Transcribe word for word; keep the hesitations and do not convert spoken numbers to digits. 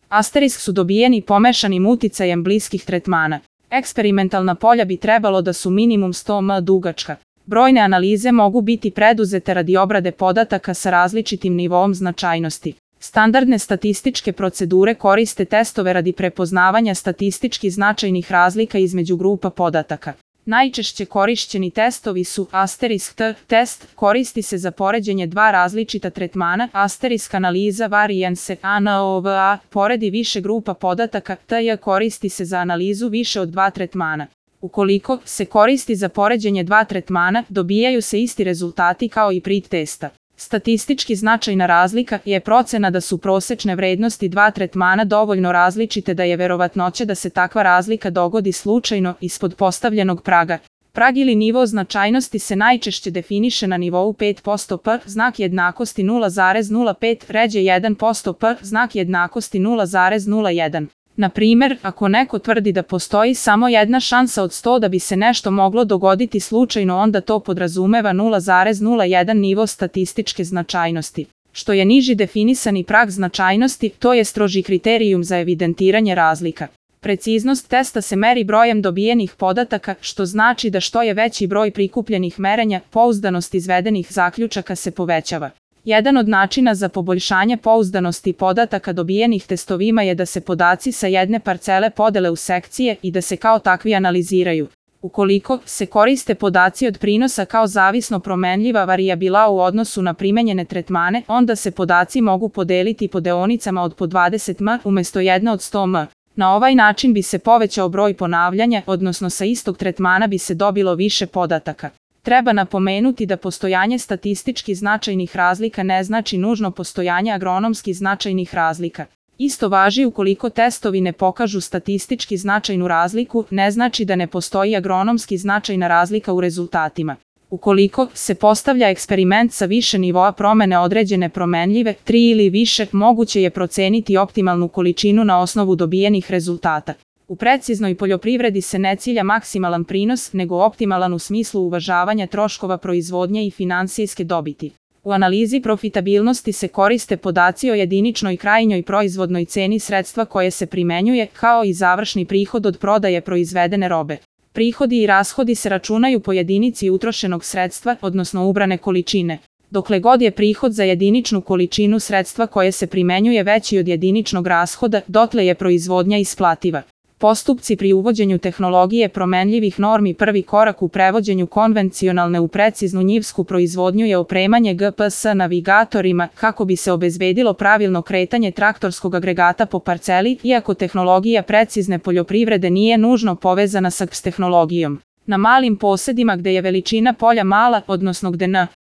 Asterisk su dobijeni pomešanim uticajem bliskih tretmana. Eksperimentalna polja bi trebalo da su minimum sto metara dugačka. Brojne analize mogu biti preduzete radi obrade podataka sa različitim nivoom značajnosti. Standardne statističke procedure koriste testove radi prepoznavanja statistički značajnih razlika između grupa podataka. Najčešće korišćeni testovi su asterisk T test, koristi se za poređenje dva različita tretmana, asterisk analiza variance ANOVA, poredi više grupa podataka, T J koristi se za analizu više od dva tretmana. Ukoliko se koristi za poređenje dva tretmana, dobijaju se isti rezultati kao i pri testa. Statistički značajna razlika je procena da su prosečne vrednosti dva tretmana dovoljno različite da je verovatnoća da se takva razlika dogodi slučajno ispod postavljenog praga. Prag ili nivo značajnosti se najčešće definiše na nivou pet posto P, znak jednakosti nula zarez nula pet, ređe jedan posto P, znak jednakosti nula zarez nula jedan. Na primer, ako neko tvrdi da postoji samo jedna šansa od sto da bi se nešto moglo dogoditi slučajno, onda to podrazumeva nula zarez nula jedan nivo statističke značajnosti. Što je niži definisani prag značajnosti, to je stroži kriterijum za evidentiranje razlika. Preciznost testa se meri brojem dobijenih podataka, što znači da što je veći broj prikupljenih merenja, pouzdanost izvedenih zaključaka se povećava. Jedan od načina za poboljšanje pouzdanosti podataka dobijenih testovima je da se podaci sa jedne parcele podele u sekcije i da se kao takvi analiziraju. Ukoliko se koriste podaci od prinosa kao zavisno promenljiva varijabila u odnosu na primenjene tretmane, onda se podaci mogu podeliti po deonicama od po dvadeset metara umjesto jedne od sto metara. Na ovaj način bi se povećao broj ponavljanja, odnosno sa istog tretmana bi se dobilo više podataka. Treba napomenuti da postojanje statistički značajnih razlika ne znači nužno postojanje agronomski značajnih razlika. Isto važi ukoliko testovi ne pokažu statistički značajnu razliku, ne znači da ne postoji agronomski značajna razlika u rezultatima. Ukoliko se postavlja eksperiment sa više nivoa promene određene promenljive, tri ili više, moguće je proceniti optimalnu količinu na osnovu dobijenih rezultata. U preciznoj poljoprivredi se ne cilja maksimalan prinos, nego optimalan u smislu uvažavanja troškova proizvodnje i finansijske dobiti. U analizi profitabilnosti se koriste podaci o jediničnoj krajnjoj proizvodnoj ceni sredstva koje se primenjuje, kao i završni prihod od prodaje proizvedene robe. Prihodi i rashodi se računaju po jedinici utrošenog sredstva, odnosno ubrane količine. Dokle god je prihod za jediničnu količinu sredstva koje se primenjuje veći od jediničnog rashoda, dotle je proizvodnja isplativa. Postupci pri uvođenju tehnologije promenljivih normi. Prvi korak u prevođenju konvencionalne u preciznu njivsku proizvodnju je opremanje G P S navigatorima kako bi se obezbedilo pravilno kretanje traktorskog agregata po parceli, iako tehnologija precizne poljoprivrede nije nužno povezana sa G P S tehnologijom. Na malim posedima gde je veličina polja mala, odnosno gde N